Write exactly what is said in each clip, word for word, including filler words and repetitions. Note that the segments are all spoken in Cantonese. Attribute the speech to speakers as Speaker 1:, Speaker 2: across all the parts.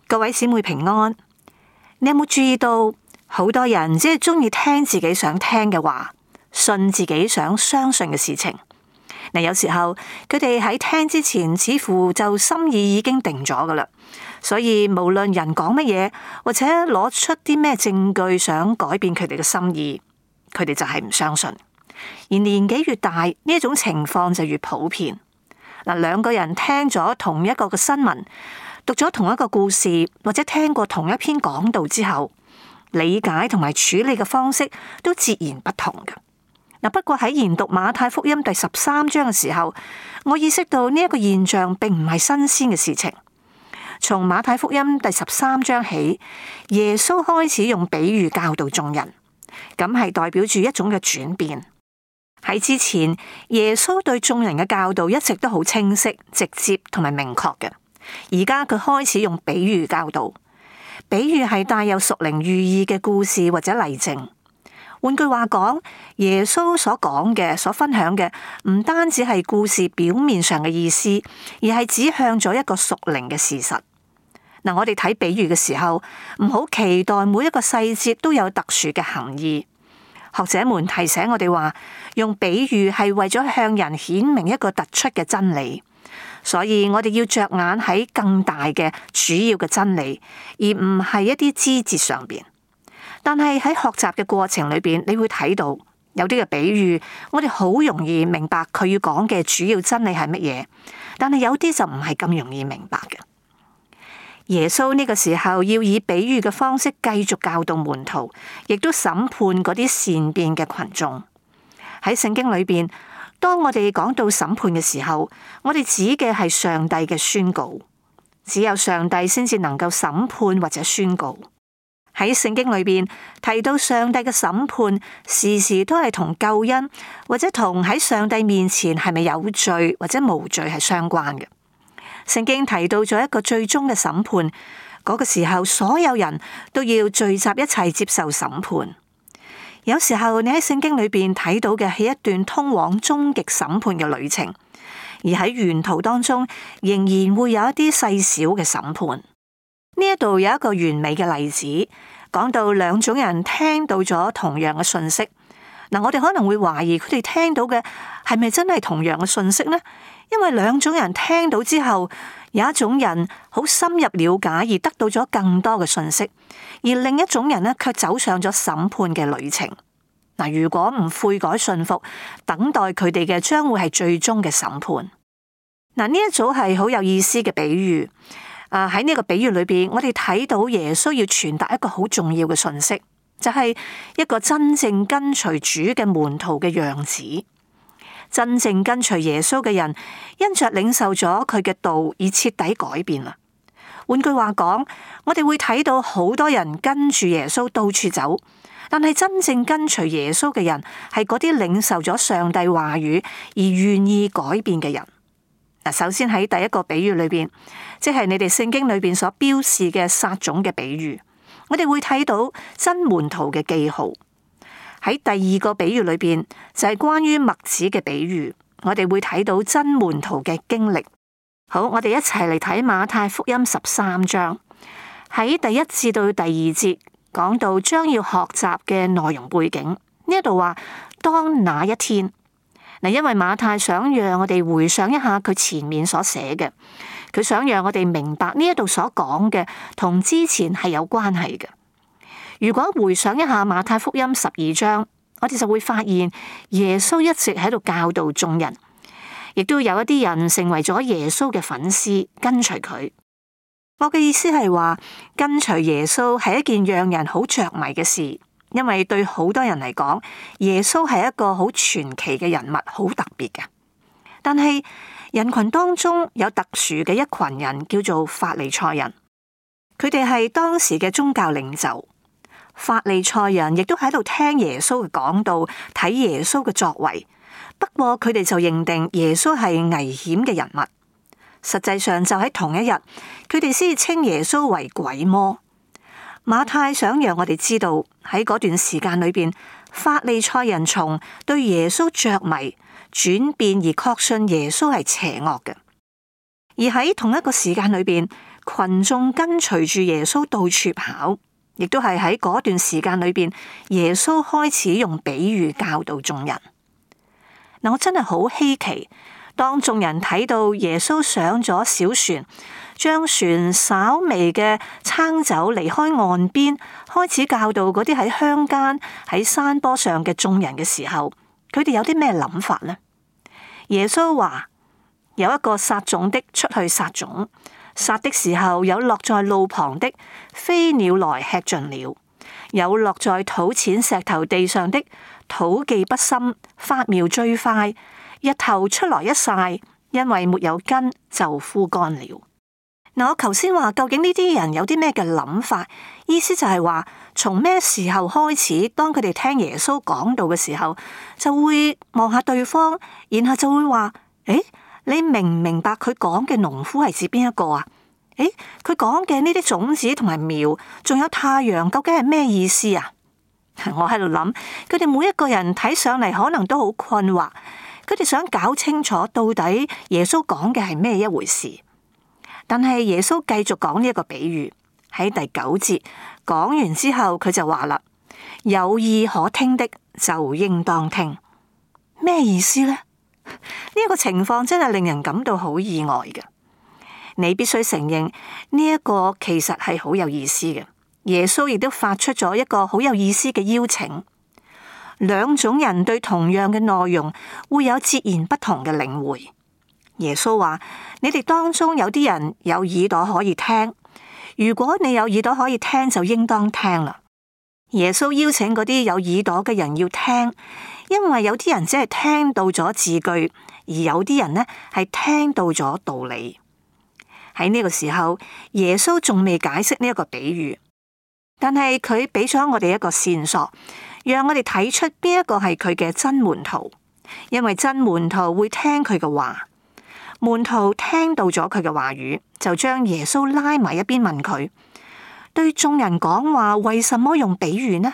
Speaker 1: 各位姊妹平安，你有冇注意到好多人只係中意聽自己想聽嘅話，信自己想相信嘅事情？嗱，有時候佢哋喺聽之前，似乎就心意已經定咗噶啦，所以無論人講乜嘢，或者攞出啲咩證據想改變佢哋嘅心意，佢哋就係唔相信。而年紀越大，呢一種情況就越普遍。嗱，兩個人聽咗同一個嘅新聞，讀咗同一個故事，或者聽過同一篇講道之後，理解同埋處理嘅方式都截然不同嘅。嗱，不過喺研讀馬太福音第十三章嘅時候，我意識到呢一個現象並唔係新鮮嘅事情。從馬太福音第十三章起，耶穌開始用比喻教導眾人，咁係代表住一種嘅轉變。喺之前，耶穌對眾人嘅教導一直都好清晰、直接同埋明確嘅。而家佢開始用比喻教導，比喻係帶有屬靈寓意嘅故事或者例證。換句話講，耶穌所講嘅、所分享嘅，唔單止係故事表面上嘅意思，而係指向咗一個屬靈嘅事實。嗱，我哋睇比喻嘅時候，唔好期待每一個細節都有特殊嘅含義。學者們提醒我哋話，用比喻係為咗向人顯明一個突出嘅真理，所以我哋要着眼喺更大嘅主要嘅真理，而唔係一啲枝節上邊。但係喺學習嘅過程裏邊，你會睇到有啲嘅比喻，我哋好容易明白佢要講嘅主要真理係乜嘢，但係有啲就唔係咁容易明白嘅。耶穌呢個時候要以比喻嘅方式繼續教導門徒，亦都審判嗰啲善變嘅群眾。喺聖經裏邊，當我哋講到審判嘅時候，我哋指嘅係上帝嘅宣告，只有上帝先至能夠審判或者宣告。喺聖經裏邊提到上帝嘅審判，時時都係同救恩或者同喺上帝面前係咪有罪或者無罪係相關嘅。聖經提到咗一個最終嘅審判，嗰個時候所有人都要聚集一齊接受審判。有時候你喺聖經裏邊睇到嘅係一段通往終極審判嘅旅程，而喺沿途當中仍然會有一啲細小嘅審判。呢一度有一個完美嘅例子，講到兩種人聽到咗同樣嘅信息。嗱，我哋可能會懷疑佢哋聽到嘅係咪真係同樣嘅信息呢？因為兩種人聽到之後，有一種人好深入了解而得到咗更多嘅信息，而另一種人呢，卻走上咗審判嘅旅程。嗱，如果唔悔改信服，等待佢哋嘅將會係最終嘅審判。嗱，呢一組係好有意思嘅比喻。啊！喺呢個比喻裏邊，我哋睇到耶穌要傳達一個好重要嘅信息，就係一個真正跟隨主嘅門徒嘅樣子。真正跟隨耶穌嘅人，因着領受咗佢嘅道而徹底改變啦。換句話講，我哋會睇到好多人跟住耶穌到處走，但係真正跟隨耶穌嘅人，係嗰啲領受咗上帝話語而願意改變嘅人。嗱，首先喺第一個比喻裏邊，即係你哋聖經裏邊所標示嘅撒種嘅比喻，我哋會睇到真門徒嘅記號。喺第二個比喻裏邊，就係關於麥子嘅比喻，我哋會睇到真門徒嘅經歷。好，我哋一齊嚟睇馬太福音十三章，喺第一至到第二節講到將要學習嘅內容背景。呢一度話當那一天。嗱，因為馬太想讓我哋回想一下佢前面所寫嘅，佢想讓我哋明白呢一度所講嘅同之前係有關係嘅。如果回想一下馬太福音十二章，我哋就會發現耶穌一直喺度教導眾人，亦都有一啲人成為咗耶穌嘅粉絲，跟隨佢。我嘅意思係話，跟隨耶穌係一件讓人好着迷嘅事。因為對好多人嚟講，耶穌係一個好傳奇嘅人物，好特別嘅。但係人群當中有特殊嘅一群人，叫做法利賽人。佢哋係當時嘅宗教領袖。法利賽人亦都喺度聽耶穌嘅講道，睇耶穌嘅作為。不過佢哋就認定耶穌係危險嘅人物。實際上就喺同一日，佢哋先稱耶穌為鬼魔。馬太想讓我哋知道喺嗰段時間裏邊，法利賽人從對耶穌着迷轉變而確信耶穌係邪惡嘅，而喺同一個時間裏邊，群眾跟隨住耶穌到處跑，亦都係喺嗰段時間裏邊，耶穌開始用比喻教導眾人。嗱，我真係好稀奇，當眾人睇到耶穌上咗小船，將船稍微嘅撐走離開岸邊，開始教導嗰啲喺鄉間喺山坡上嘅眾人嘅時候，佢哋有啲咩諗法呢？耶穌話：有一個撒種的出去撒種，撒的時候有落在路旁的，飛鳥來吃盡了；有落在土淺石頭地上的，土既不深，發苗最快，日頭出來一曬，因為沒有根就枯乾了。嗱，我頭先話究竟呢啲人有啲咩嘅諗法？意思就係話，從咩時候開始，當佢哋聽耶穌講道嘅時候，就會望下對方，然後就會話：誒，你明唔明白佢講嘅農夫係指邊一個啊？誒，佢講嘅呢啲種子同埋苗，仲有太陽，究竟係咩意思啊？我喺度諗，佢哋每一個人睇上嚟可能都好困惑，佢哋想搞清楚到底耶穌講嘅係咩一回事。但係耶穌繼續講呢一個比喻，喺第九節講完之後，佢就話啦：有耳可聽的就應當聽。咩意思呢？呢一個情況真係令人感到好意外嘅。你必須承認呢一個其實係好有意思嘅。耶穌亦都發出咗一個好有意思嘅邀請。兩種人對同樣嘅內容會有截然不同嘅領會。耶穌話：你哋當中有啲人有耳朵可以聽，如果你有耳朵可以聽，就應當聽啦。耶穌邀請嗰啲有耳朵嘅人要聽，因為有啲人只係聽到咗字句，而有啲人呢係聽到咗道理。喺呢個時候，耶穌仲未解釋呢一個比喻，但係佢俾咗我哋一個線索，讓我哋睇出邊一個係佢嘅真門徒，因為真門徒會聽佢嘅話。門徒聽到咗佢嘅話語，就將耶穌拉埋一邊問佢：對眾人講話，為什麼用比喻呢？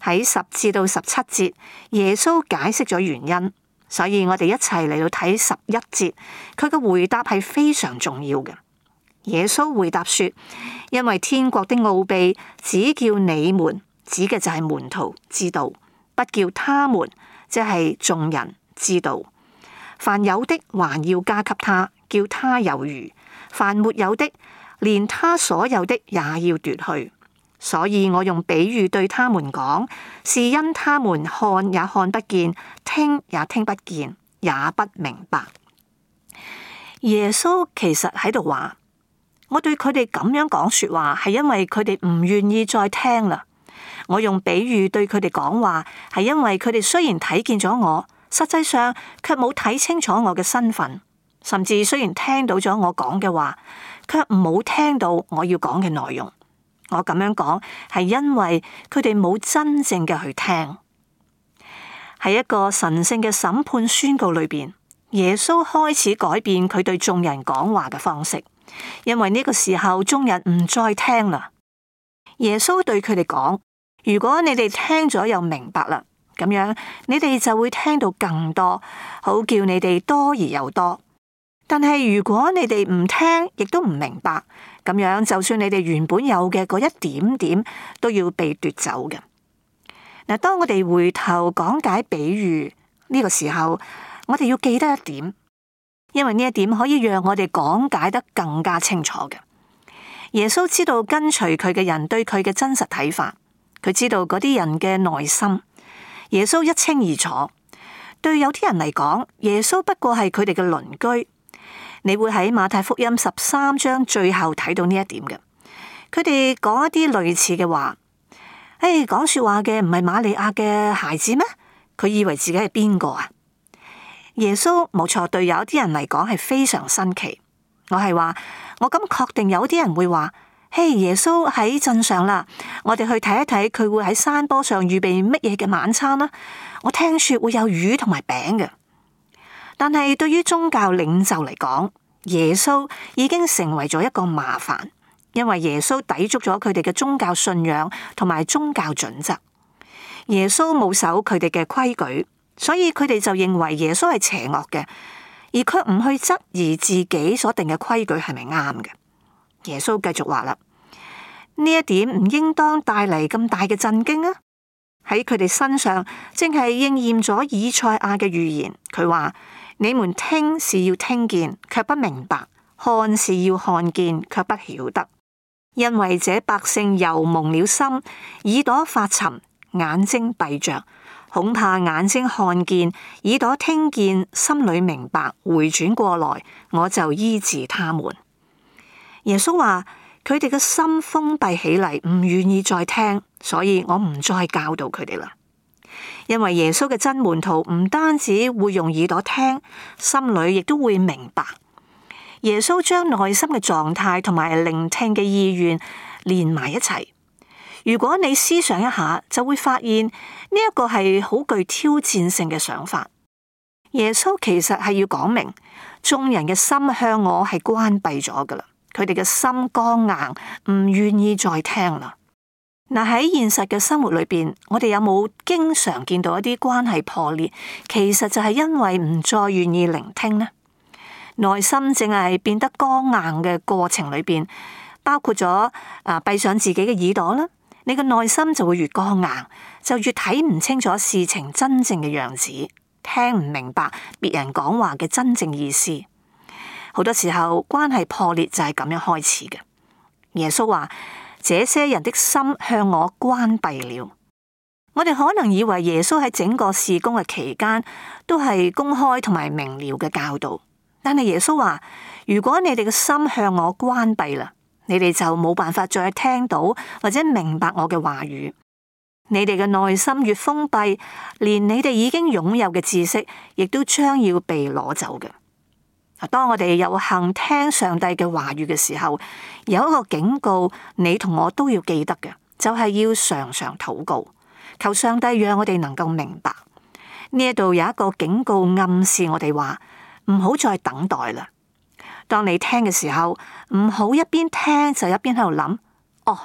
Speaker 1: 喺十至到十七節，耶穌解釋咗原因，所以我哋一齊嚟到睇十一節，佢嘅回答係非常重要嘅。耶穌回答說：因為天國的奧秘，只叫你們，指嘅就係門徒知道，不叫他們，即係眾人知道。凡有的還要加給他，叫他有餘；凡沒有的，連他所有的也要奪去。所以我用比喻對他們講，是因他們看也看不見，聽也聽不見，也不明白。耶穌其實喺度話：我對佢哋咁樣講說話，係因為佢哋唔願意再聽啦。我用比喻對佢哋講話，係因為佢哋雖然睇見咗我，實際上卻冇睇清楚我嘅身份，甚至雖然聽到咗我講嘅話，卻冇聽到我要講嘅內容。我咁樣講係因為佢哋冇真正嘅去聽。喺一個神聖嘅審判宣告裏邊，耶穌開始改變佢對眾人講話嘅方式，因為呢個時候眾人唔再聽啦。耶穌對佢哋講：如果你哋聽咗又明白啦，咁樣你哋就會聽到更多，好叫你哋多而又多。但係如果你哋唔聽，亦都唔明白，咁樣就算你哋原本有嘅嗰一點點，都要被奪走嘅。嗱，當我哋回頭講解比喻呢個時候，我哋要記得一點，因為呢一點可以讓我哋講解得更加清楚嘅。耶穌知道跟隨佢嘅人對佢嘅真實睇法，佢知道嗰啲人嘅內心。耶穌一清二楚，對有啲人嚟講，耶穌不過係佢哋嘅鄰居。你會喺馬太福音十三章最後睇到呢一點嘅。佢哋講一啲類似嘅話，誒，講說話嘅唔係瑪利亞嘅孩子咩？佢以為自己係邊個啊？耶穌冇錯，對有啲人嚟講係非常新奇。我係話，我咁確定有啲人會話。嘿，耶穌喺鎮上啦，我哋去睇一睇佢會喺山坡上預備乜嘢嘅晚餐啦。我聽說會有魚同埋餅嘅，但係對於宗教領袖嚟講，耶穌已經成為咗一個麻煩，因為耶穌抵觸咗佢哋嘅宗教信仰同埋宗教準則。耶穌冇守佢哋嘅規矩，所以佢哋就認為耶穌係邪惡嘅，而卻唔去質疑自己所定嘅規矩係咪啱嘅。耶穌繼續話啦，呢一點唔應當帶嚟咁大嘅震驚啊！喺佢哋身上，正係應驗咗以賽亞嘅預言。佢話：你們聽是要聽見，卻不明白；看是要看見，卻不曉得。因為這百姓又蒙了心，耳朵發沉，眼睛閉着，恐怕眼睛看見，耳朵聽見，心裏明白，回轉過來，我就醫治他們。耶穌話：佢哋嘅心封閉起嚟，唔願意再聽，所以我唔再教導佢哋啦。因為耶穌嘅真門徒唔單止會用耳朵聽，心裏亦都會明白。耶穌將內心嘅狀態同埋聆聽嘅意願連埋一齊。如果你思想一下，就會發現呢一個係好具挑戰性嘅想法。耶穌其實係要講明，眾人嘅心向我係關閉咗噶啦。佢哋嘅心剛硬，唔願意再聽啦。嗱，喺現實嘅生活裏邊，我哋有冇經常見到一啲關係破裂？其實就係因為唔再願意聆聽呢。內心淨係變得剛硬嘅過程裏邊，包括咗啊閉上自己嘅耳朵啦，你嘅內心就會越剛硬，就越睇唔清楚事情真正嘅樣子，聽唔明白別人講話嘅真正意思。好多時候關係破裂就係咁樣開始嘅。耶穌話：這些人的心向我關閉了。我哋可能以為耶穌喺整個事工嘅期間都係公開同埋明了嘅教導，但係耶穌話：如果你哋嘅心向我關閉啦，你哋就冇辦法再聽到或者明白我嘅話語。你哋嘅內心越封閉，連你哋已經擁有嘅知識，亦都將要被攞走嘅。當我哋有幸聽上帝嘅話語嘅時候，有一個警告，你同我都要記得嘅，就係要常常禱告，求上帝讓我哋能夠明白。呢一度有一個警告暗示我哋話，唔好再等待啦。當你聽嘅時候，唔好一邊聽就一邊喺度諗，哦，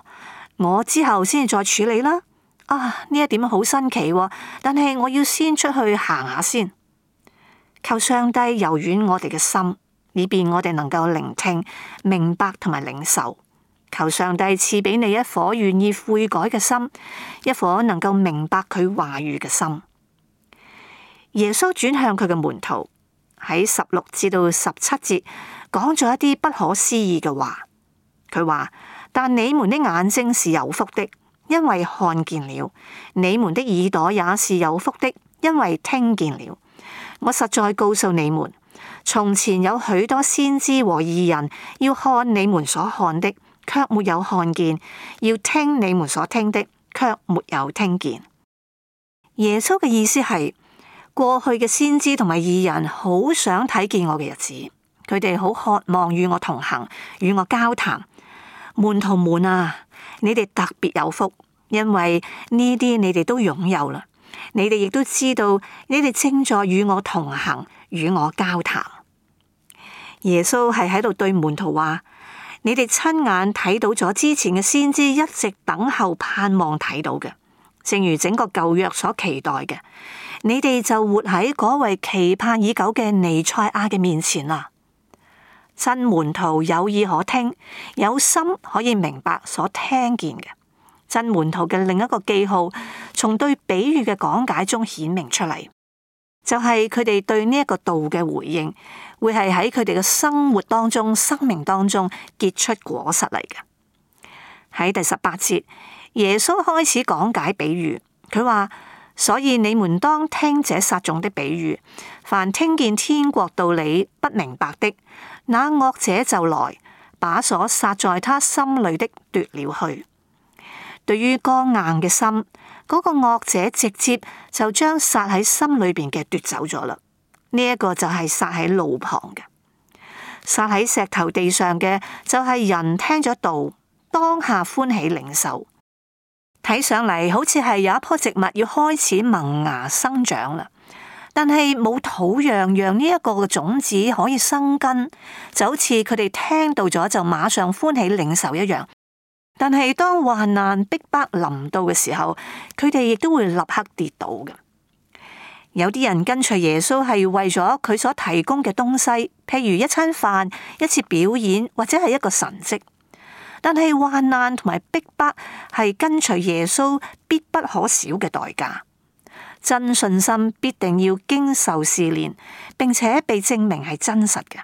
Speaker 1: 我之後先至再處理啦。啊，呢一點好新奇喎，但係我要先出去行下先。求上帝柔軟我哋嘅心，以便我哋能夠聆聽、明白同埋領受。求上帝賜俾你一顆願意悔改嘅心，一顆能夠明白佢話語嘅心。耶穌轉向佢嘅門徒，喺十六至到十七節講咗一啲不可思議嘅話。佢話：但你們的眼睛是有福的，因為看見了；你們的耳朵也是有福的，因為聽見了。我實在告訴你們，從前有許多先知和義人要看你們所看的，卻沒有看見；要聽你們所聽的，卻沒有聽見。耶穌嘅意思係，過去嘅先知同埋義人好想睇見我嘅日子，佢哋好渴望與我同行，與我交談。門徒們啊，你哋特別有福，因為呢啲你哋都擁有啦。你哋亦都知道，你哋正在與我同行，與我交談。耶穌係喺度對門徒話：你哋親眼睇到咗之前嘅先知一直等候盼望睇到嘅，正如整個舊約所期待嘅。你哋就活喺嗰位期盼已久嘅彌賽亞嘅面前啦。真門徒有耳可聽，有心可以明白所聽見嘅。真門徒嘅另一個記號，從對比喻嘅講解中顯明出嚟，就係佢哋對呢一個道嘅回應，會係喺佢哋嘅生活當中、生命當中結出果實嚟嘅。喺第十八節，耶穌開始講解比喻，佢話：所以你們當聽這撒種的比喻，凡聽見天國道理不明白的，那惡者就來，把所撒在他心裏的奪了去。對於剛硬嘅心，嗰個惡者直接就將撒喺心裏邊嘅奪走咗啦。呢一個就係撒喺路旁嘅，撒喺石頭地上嘅就係人聽咗道，當下歡喜領受，睇上嚟好似係有一棵植物要開始萌芽生長啦，但係冇土壤讓呢一個嘅種子可以生根，就好似佢哋聽到咗就馬上歡喜領受一樣。但係當患難逼迫臨到嘅時候，佢哋亦都會立刻跌倒嘅。有啲人跟隨耶穌係為咗佢所提供嘅東西，譬如一餐飯、一次表演或者係一個神蹟。但係患難同埋逼迫係跟隨耶穌必不可少嘅代價。真信心必定要經受試煉，並且被證明係真實嘅。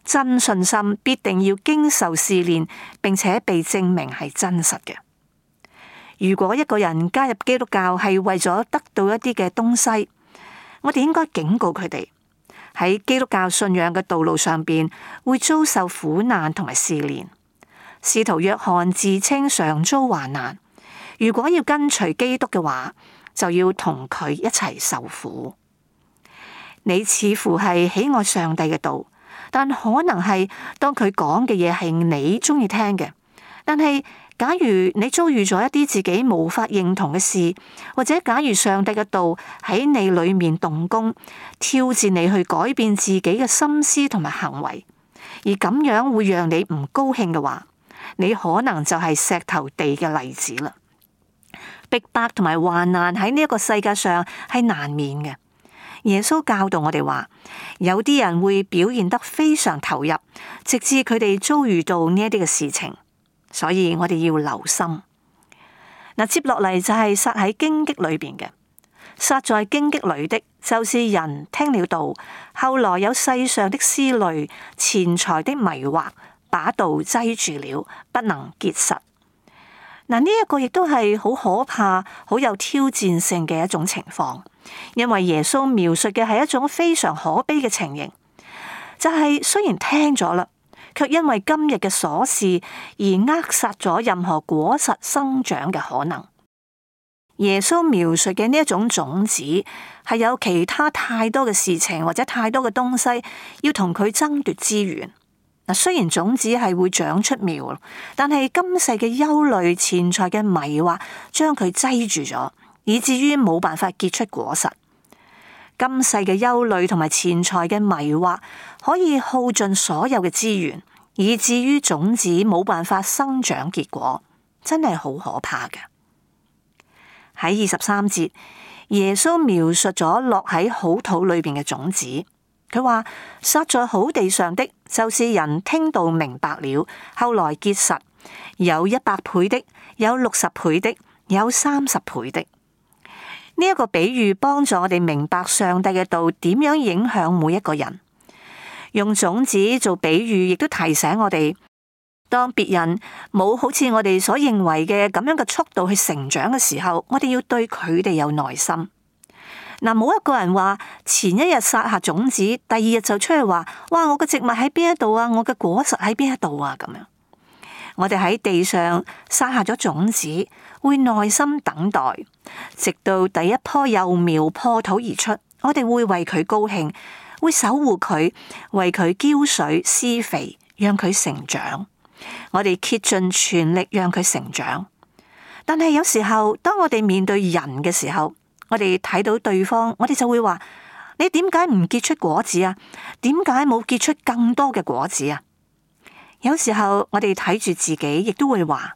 Speaker 1: 真信心必定要經受試煉，並且被證明係真實嘅。如果一個人加入基督教係為咗得到一啲嘅東西，我哋應該警告佢哋喺基督教信仰嘅道路上邊會遭受苦難同埋試煉。使徒約翰自稱常遭患難，如果要跟隨基督嘅話，就要同佢一齊受苦。你似乎係喜愛上帝嘅道，但可能係當佢講嘅嘢係你中意聽嘅。但係假如你遭遇咗一啲自己無法認同嘅事，或者假如上帝嘅道喺你裏面動工，挑戰你去改變自己嘅心思同埋行為，而咁樣會讓你唔高興嘅話，你可能就係石頭地嘅例子啦。逼迫同埋患難喺呢一個世界上係難免嘅。耶穌教導我哋話，有啲人會表現得非常投入，直至佢哋遭遇到呢一啲嘅事情，所以我哋要留心。嗱，接落嚟就係撒喺荊棘裏邊嘅，撒在荊棘裏的，就是人聽了道，後來有世上的思慮、錢財的迷惑，把道擠住了，不能結實。嗱，呢一個亦都係好可怕、好有挑戰性嘅一種情況，因為耶穌描述嘅係一種非常可悲嘅情形，就係雖然聽咗啦，卻因為今日嘅瑣事而扼殺咗任何果實生長嘅可能。耶穌描述嘅呢一種種子，係有其他太多嘅事情或者太多嘅東西要同佢爭奪資源。嗱，雖然種子係會長出苗，但係今世嘅憂慮、錢財嘅迷惑，將佢擠住咗，以至於冇辦法結出果實。今世嘅憂慮同埋錢財嘅迷惑，可以耗盡所有嘅資源，以至於種子冇辦法生長結果，真係好可怕嘅。喺二十三節，耶穌描述咗落喺好土裏邊嘅種子。佢話撒在好地上的，就是人聽到明白了，後來結實，有一百倍的，有六十倍的，有三十倍的。呢、這、一個比喻幫助我哋明白上帝嘅道點樣影響每一個人。用種子做比喻，亦都提醒我哋，當別人冇好似我哋所認為嘅咁樣嘅速度去成長嘅時候，我哋要對佢哋有耐心。嗱，冇一個人話前一日撒下種子，第二日就出去話，哇！我嘅植物喺邊一度啊，我嘅果實喺邊一度啊，咁樣。我哋喺地上撒下咗種子，會耐心等待，直到第一棵幼苗破土而出，我哋會為佢高興，會守護佢，為佢澆水施肥，讓佢成長。我哋竭盡全力讓佢成長。但係有時候，當我哋面對人嘅時候，我哋睇到對方，我哋就會話：你點解唔結出果子啊？點解冇結出更多嘅果子啊？有時候我哋睇住自己，亦都會話：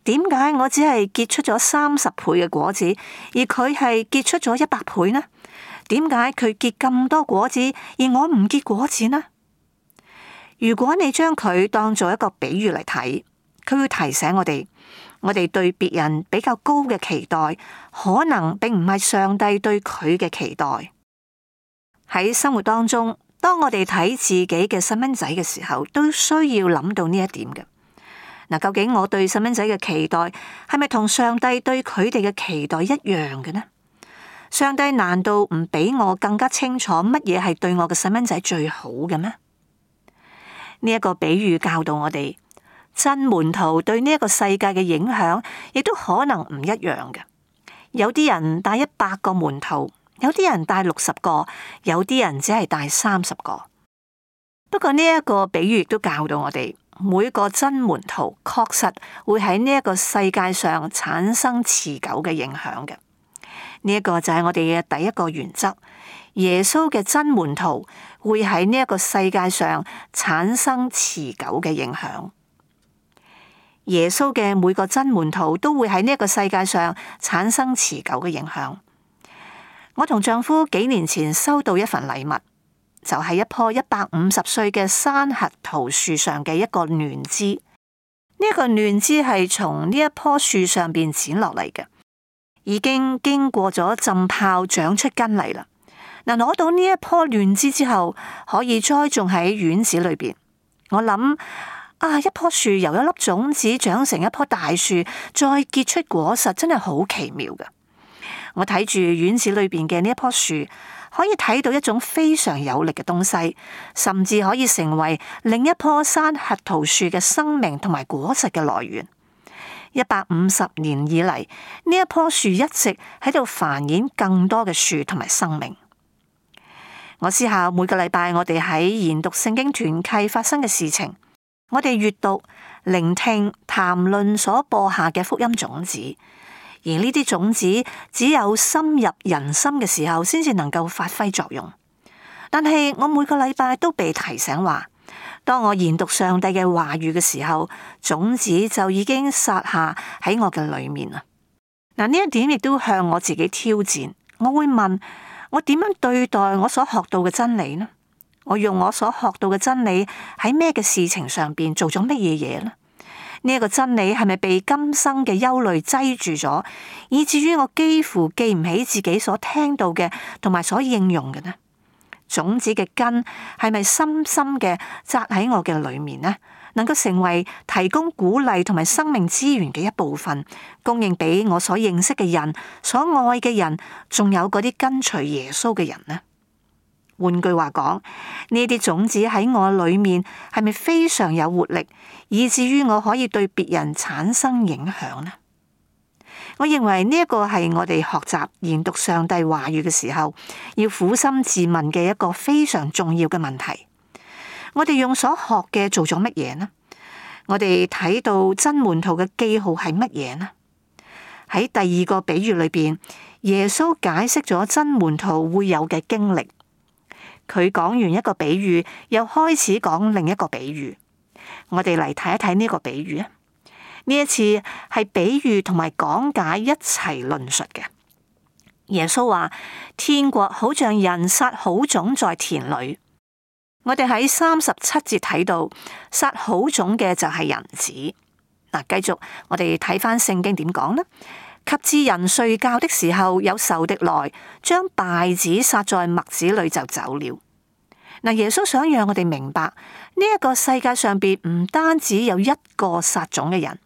Speaker 1: 點解我只係結出咗三十倍嘅果子，而佢係結出咗一百倍呢？點解佢結咁多果子，而我唔結果子呢？如果你將佢當做一個比喻嚟睇，佢會提醒我哋。我哋對別人比較高嘅期待，可能並唔係上帝對佢嘅期待。喺生活當中，當我哋睇自己嘅細蚊仔嘅時候，都需要諗到呢一點嘅。嗱，究竟我對細蚊仔嘅期待係咪同上帝對佢哋嘅期待一樣嘅呢？上帝難道唔比我更加清楚乜嘢係對我嘅細蚊仔最好嘅咩？呢一個比喻教導我哋。真門徒對呢一個世界嘅影響，亦都可能唔一樣嘅。有啲人帶一百個門徒，有啲人帶六十個，有啲人只係帶三十個。不過呢一個比喻亦都教導我哋，每個真門徒確實會喺呢一個世界上產生持久嘅影響嘅。呢一個就係我哋嘅第一個原則。耶穌嘅真門徒會喺呢一個世界上產生持久嘅影響。耶穌嘅每個真門徒都會喺呢一個世界上產生持久嘅影響。我同丈夫幾年前收到一份禮物，就係一棵一百五十歲嘅山核桃樹上嘅一個嫩枝。一個嫩枝係從呢一棵樹上邊剪落嚟嘅，已經經過咗浸泡，長出根嚟啦。嗱，攞到呢一棵嫩枝之後，可以栽種喺院子裏邊。我諗啊，一棵樹由一粒種子長成一棵大樹，再結出果實，真係好奇妙嘅。我睇住院子裏邊嘅呢一棵樹，可以睇到一種非常有力嘅東西，甚至可以成為另一棵山核桃樹嘅生命同埋果實嘅來源。一百五十年以嚟，呢一棵樹一直喺度繁衍更多嘅樹同埋生命。我思考每個禮拜我哋喺研讀聖經團契發生嘅事情，我哋閱讀、聆聽、談論所播下嘅福音種子，而呢啲種子只有深入人心嘅時候，先至能夠發揮作用。但係我每個禮拜都被提醒話，當我研讀上帝嘅話語嘅時候，種子就已經撒下喺我嘅裏面啦。嗱，呢一點亦都向我自己挑戰，我會問，我點樣對待我所學到嘅真理呢？我用我所學到嘅真理喺咩嘅事情上邊做咗乜嘢嘢呢？呢、這、一個真理係咪被今生嘅憂慮擠住咗，以至於我幾乎記唔起自己所聽到嘅同埋所應用嘅呢？種子嘅根係咪深深嘅扎喺我嘅裏面呢？能夠成為提供鼓勵同埋生命資源嘅一部分，供應俾我所認識嘅人、所愛嘅人，仲有嗰啲跟隨耶穌嘅人呢？換句話講，呢啲種子喺我裏面係咪非常有活力，以至於我可以對別人產生影響呢？我認為呢一個係我哋學習研讀上帝話語嘅時候，要苦心自問嘅一個非常重要嘅問題。我哋用所學嘅做咗乜嘢呢？我哋睇到真門徒嘅記號係乜嘢呢？喺第二個比喻裏邊，耶穌解釋咗真門徒會有嘅經歷。佢講完一個比喻，又開始講另一個比喻。我哋嚟睇一睇呢個比喻啊！呢一次係比喻同埋講解一齊論述嘅。耶穌話：天國好像人撒好種在田裏。我哋喺三十七節睇到撒好種嘅就係人子。嗱，繼續我哋睇翻聖經點講呢？及至人睡覺的時候，有仇敵來，將稗子撒在麥子裏就走了。嗱，耶穌想讓我哋明白呢一個世界上邊唔單止有一個撒種嘅人，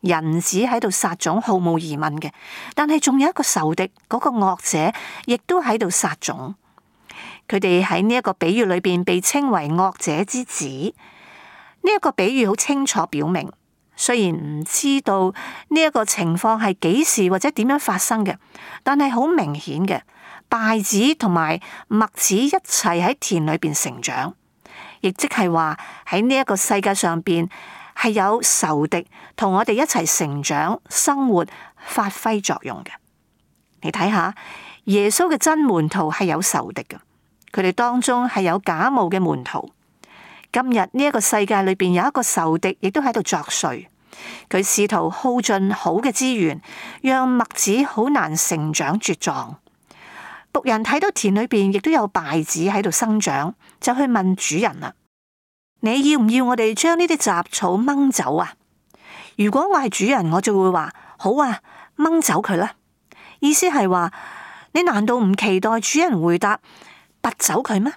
Speaker 1: 人子喺度撒種，毫無疑問嘅。但係仲有一個仇敵，嗰個惡者，亦都喺度撒種。佢哋喺呢一個比喻裏邊被稱為惡者之子。呢一個比喻好清楚表明，雖然唔知道呢一個情況係幾時或者點樣發生嘅，但係好明顯嘅，稗子同埋麥子一齊喺田裏邊成長，亦即係話喺呢一個世界上邊係有仇敵同我哋一齊成長、生活、發揮作用嘅。你睇下，耶穌嘅真門徒係有仇敵嘅。佢哋當中係有假冒嘅門徒。今日呢一個世界裏邊有一個仇敵，亦都喺度作祟。佢試圖耗盡好嘅資源，讓麥子好難成長茁壯。僕人睇到田裏邊亦都有稗子喺度生長，就去問主人啦：你要唔要我哋將呢啲雜草掹走啊？如果我係主人，我就會話：好啊，掹走佢啦。意思係話，你難道唔期待主人回答拔走佢咩？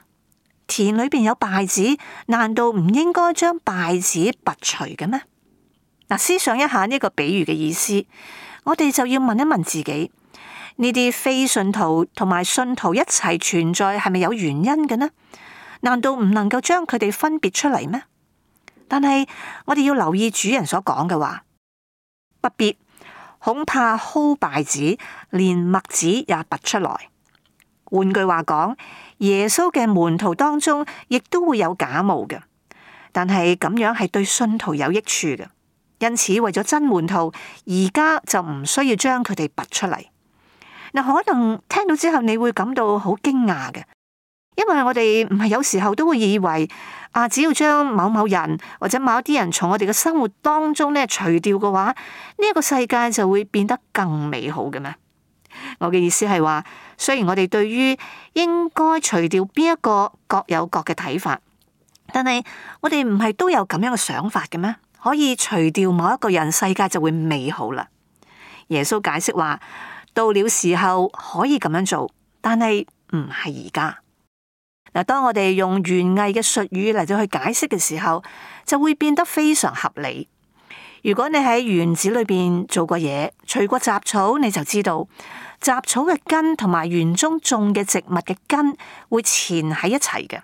Speaker 1: 田裏邊有稗子，難道唔應該將稗子拔除嘅咩？嗱，思想一下呢個比喻嘅意思，我哋就要問一問自己：呢啲非信徒同埋信徒一齊存在，係咪有原因嘅呢？難道唔能夠將佢哋分別出嚟咩？但係我哋要留意主人所講嘅話，不必，恐怕薅稗子，連麥子也拔出來。換句話講，耶穌嘅門徒當中亦都會有假冒嘅，但係咁樣係對信徒有益處嘅。因此為咗真門徒，而家就唔需要將佢哋拔出嚟。嗱，可能聽到之後你會感到好驚訝嘅，因為我哋唔係有時候都會以為啊，只要將某某人或者某一啲人從我哋嘅生活當中咧除掉嘅話，呢一個世界就會變得更美好嘅咩？我嘅意思係話，雖然我哋對於應該除掉邊一個各有各嘅睇法，但係我哋唔係都有咁樣嘅想法嘅咩？可以除掉某一個人，世界就會美好啦。耶穌解釋話，到了時候可以咁樣做，但係唔係而家。嗱，當我哋用園藝嘅術語嚟到去解釋嘅時候，就會變得非常合理。如果你喺園子裏邊做過嘢，除過雜草，你就知道雜草嘅根同埋園中種嘅植物嘅根會纏喺一齊嘅，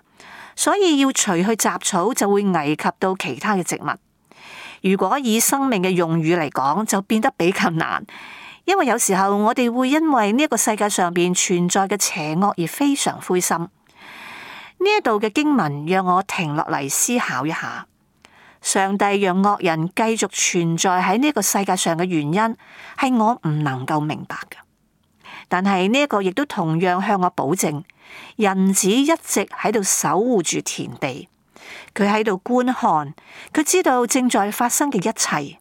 Speaker 1: 所以要除去雜草就會危及到其他嘅植物。如果以生命嘅用語嚟講，就變得比較難，因為有時候我哋會因為呢一個世界上邊存在嘅邪惡而非常灰心。呢一度嘅經文讓我停落嚟思考一下，上帝讓惡人繼續存在喺呢個世界上嘅原因，係我唔能夠明白嘅。但係呢一個亦都同樣向我保證，人子一直喺度守護住田地。佢喺度觀看，佢知道正在發生嘅一切。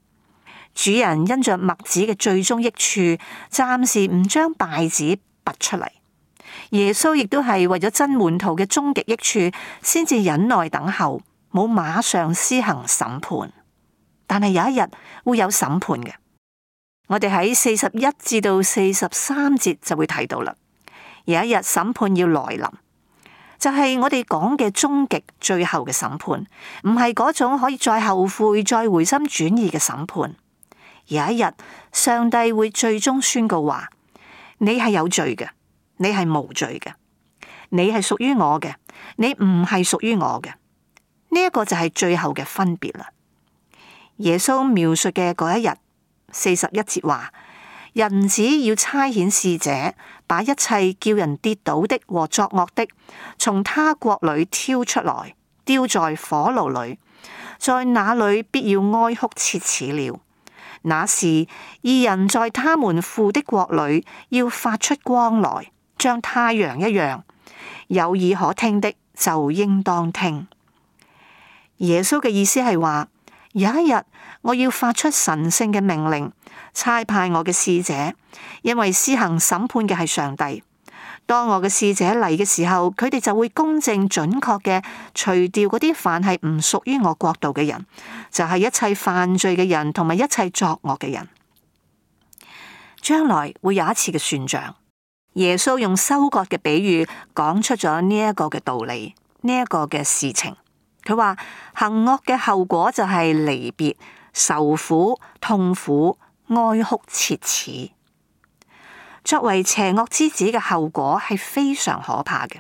Speaker 1: 主人因着麥子嘅最終益處，暫時唔將稗子拔出嚟。耶穌亦都係為咗真門徒嘅終極益處，先至忍耐等候，冇馬上施行審判。但係有一日會有審判嘅，我哋喺四十一至到四十三節就會睇到啦。有一日審判要來臨。就係我哋講嘅終極最後嘅審判，唔係嗰種可以再後悔、再回心轉意嘅審判。有一日，上帝會最終宣告話：你係有罪嘅，你係無罪嘅，你係屬於我嘅，你唔係屬於我嘅。呢一個就係最後嘅分別啦。耶穌描述嘅嗰一日，四十一節話：人子要差遣使者，把一切叫人跌倒的和作惡的，從他國裏挑出來，丟在火爐裏，在那裏必要哀哭切齒了。那時，義人在他們父的國裏要發出光來，像太陽一樣。有耳可聽的就應當聽。耶穌嘅意思係話，有一日我要發出神聖嘅命令，差派我嘅使者，因為施行審判嘅係上帝。當我嘅使者嚟嘅時候，佢哋就會公正準確嘅除掉嗰啲凡係唔屬於我國度嘅人，就係一切犯罪嘅人同埋一切作惡嘅人。將來會有一次嘅算賬，耶穌用收割嘅比喻講出咗呢一個嘅道理，呢一個嘅事情。佢話行惡嘅後果就係離別、受苦、痛苦、哀哭切齒。作為邪惡之子嘅後果係非常可怕嘅，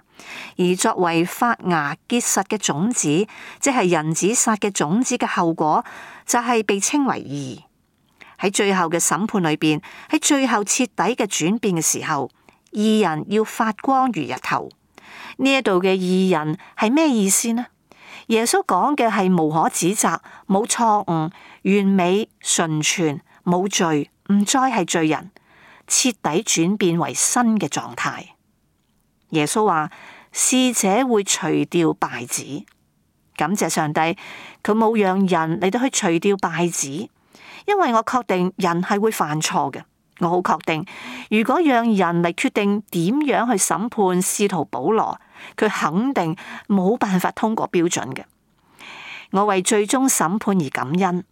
Speaker 1: 而作為發芽結實嘅種子，即係人子撒嘅種子嘅後果，就係被稱為義。喺最後嘅審判裏邊，喺最後徹底嘅轉變嘅時候，義人要發光如日頭。呢一度嘅義人係咩意思呢？耶穌講嘅係無可指責、冇錯誤、完美、純全、冇罪，唔再係罪人，徹底轉變為新嘅狀態。耶穌話使者會除掉稗子，感謝上帝，佢冇讓人嚟到去除掉稗子，因為我確定人係會犯錯嘅。我好確定，如果讓人嚟決定點樣去審判使徒保羅，佢肯定冇辦法通過標準嘅。我為最終審判而感恩。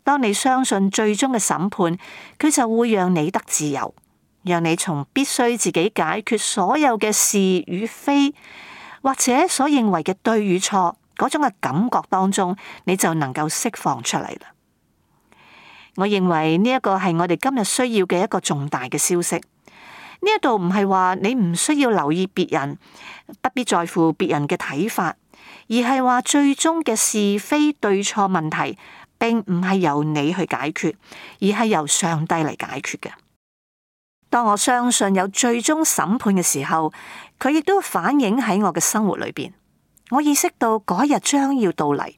Speaker 1: 當你相信最終嘅審判，佢就會讓你得自由，讓你從必須自己解決所有嘅是與非，或者所認為嘅對與錯嗰種嘅感覺當中，你就能夠釋放出嚟啦。我認為呢一個係我哋今日需要嘅一個重大嘅消息。呢一度唔係話你唔需要留意別人，不必在乎別人嘅睇法，而係話最終嘅是非對錯問題，並唔係由你去解決，而係由上帝嚟解決嘅。當我相信有最終審判嘅時候，佢亦都反映喺我嘅生活裏邊。我意識到嗰日將要到嚟，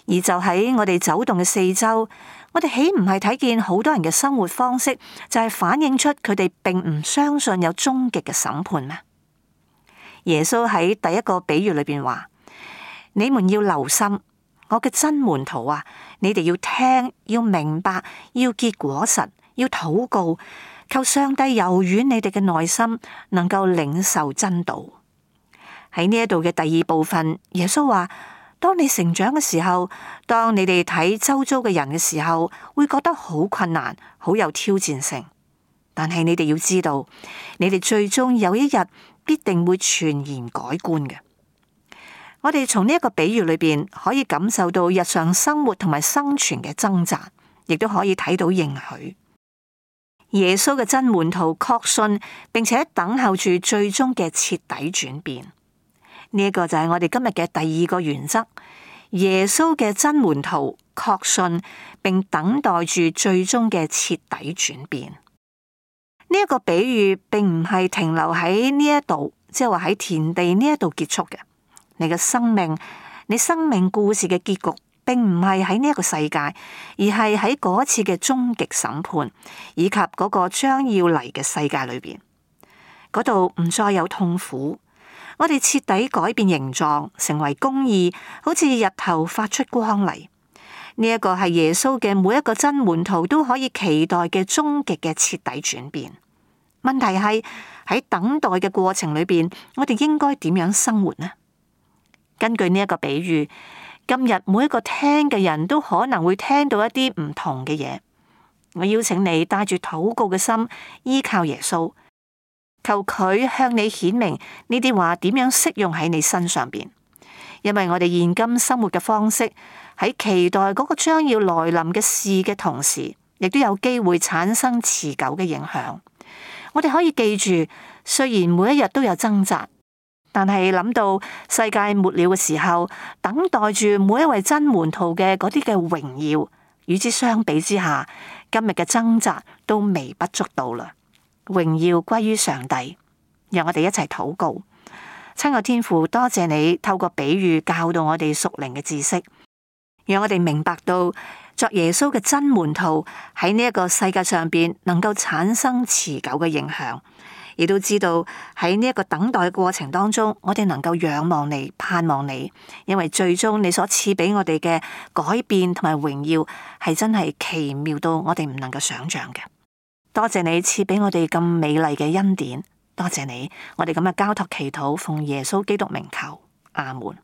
Speaker 1: 而就喺我哋走動嘅四周，我哋豈唔係睇見好多人嘅生活方式，就係反映出佢哋並唔相信有終極嘅審判咩？耶穌喺第一個比喻裏邊話：你們要留心，我嘅真門徒啊，你哋要聽，要明白，要結果實，要禱告，求上帝柔軟你哋嘅內心，能夠領受真道。喺呢一度嘅第二部分，耶穌話：當你成長嘅時候，當你哋睇周遭嘅人嘅時候，會覺得好困難，好有挑戰性。但係你哋要知道，你哋最終有一日必定會全然改觀嘅。我哋從呢一個比喻裏邊可以感受到日常生活同埋生存嘅掙扎，亦都可以睇到應許。耶穌嘅真門徒確信，並且等候住最終嘅徹底轉變。呢一個就係我哋今日嘅第二個原則。耶穌嘅真門徒確信，並等待住最終嘅徹底轉變。呢一個比喻並唔係停留喺呢一度，即係話喺田地呢一度結束嘅。你嘅生命，你生命故事嘅結局，並唔係喺呢一個世界，而係喺嗰次嘅終極審判，以及嗰個將要嚟嘅世界裏邊。嗰度唔再有痛苦，我哋徹底改變形狀，成為公義，好似日頭發出光嚟。呢一個係耶穌嘅每一個真門徒都可以期待嘅終極嘅徹底轉變。問題係喺等待嘅過程裏邊，我哋應該點樣生活呢？根據呢一個比喻，今日每一個聽嘅人都可能會聽到一啲唔同嘅嘢。我邀請你帶住禱告嘅心，依靠耶穌，求佢向你顯明呢啲話點樣適用喺你身上邊。因為我哋現今生活嘅方式，喺期待嗰個將要來臨嘅事嘅同時，亦都有機會產生持久嘅影響。我哋可以記住，雖然每一日都有掙扎，但係諗到世界末了嘅時候，等待住每一位真門徒嘅嗰啲嘅榮耀，與之相比之下，今日嘅掙扎都微不足道啦。榮耀歸於上帝，讓我哋一齊禱告。親愛天父，多謝你透過比喻教導我哋屬靈嘅知識，讓我哋明白到作耶穌嘅真門徒喺呢一個世界上邊能夠產生持久嘅影響，亦都知道喺呢一個等待嘅過程當中，我哋能夠仰望你、盼望你，因為最終你所賜俾我哋嘅改變同埋榮耀係真係奇妙到我哋唔能夠想象嘅。多謝你賜俾我哋咁美麗嘅恩典，多謝你，我哋咁嘅交託祈禱，奉耶穌基督名求，阿門。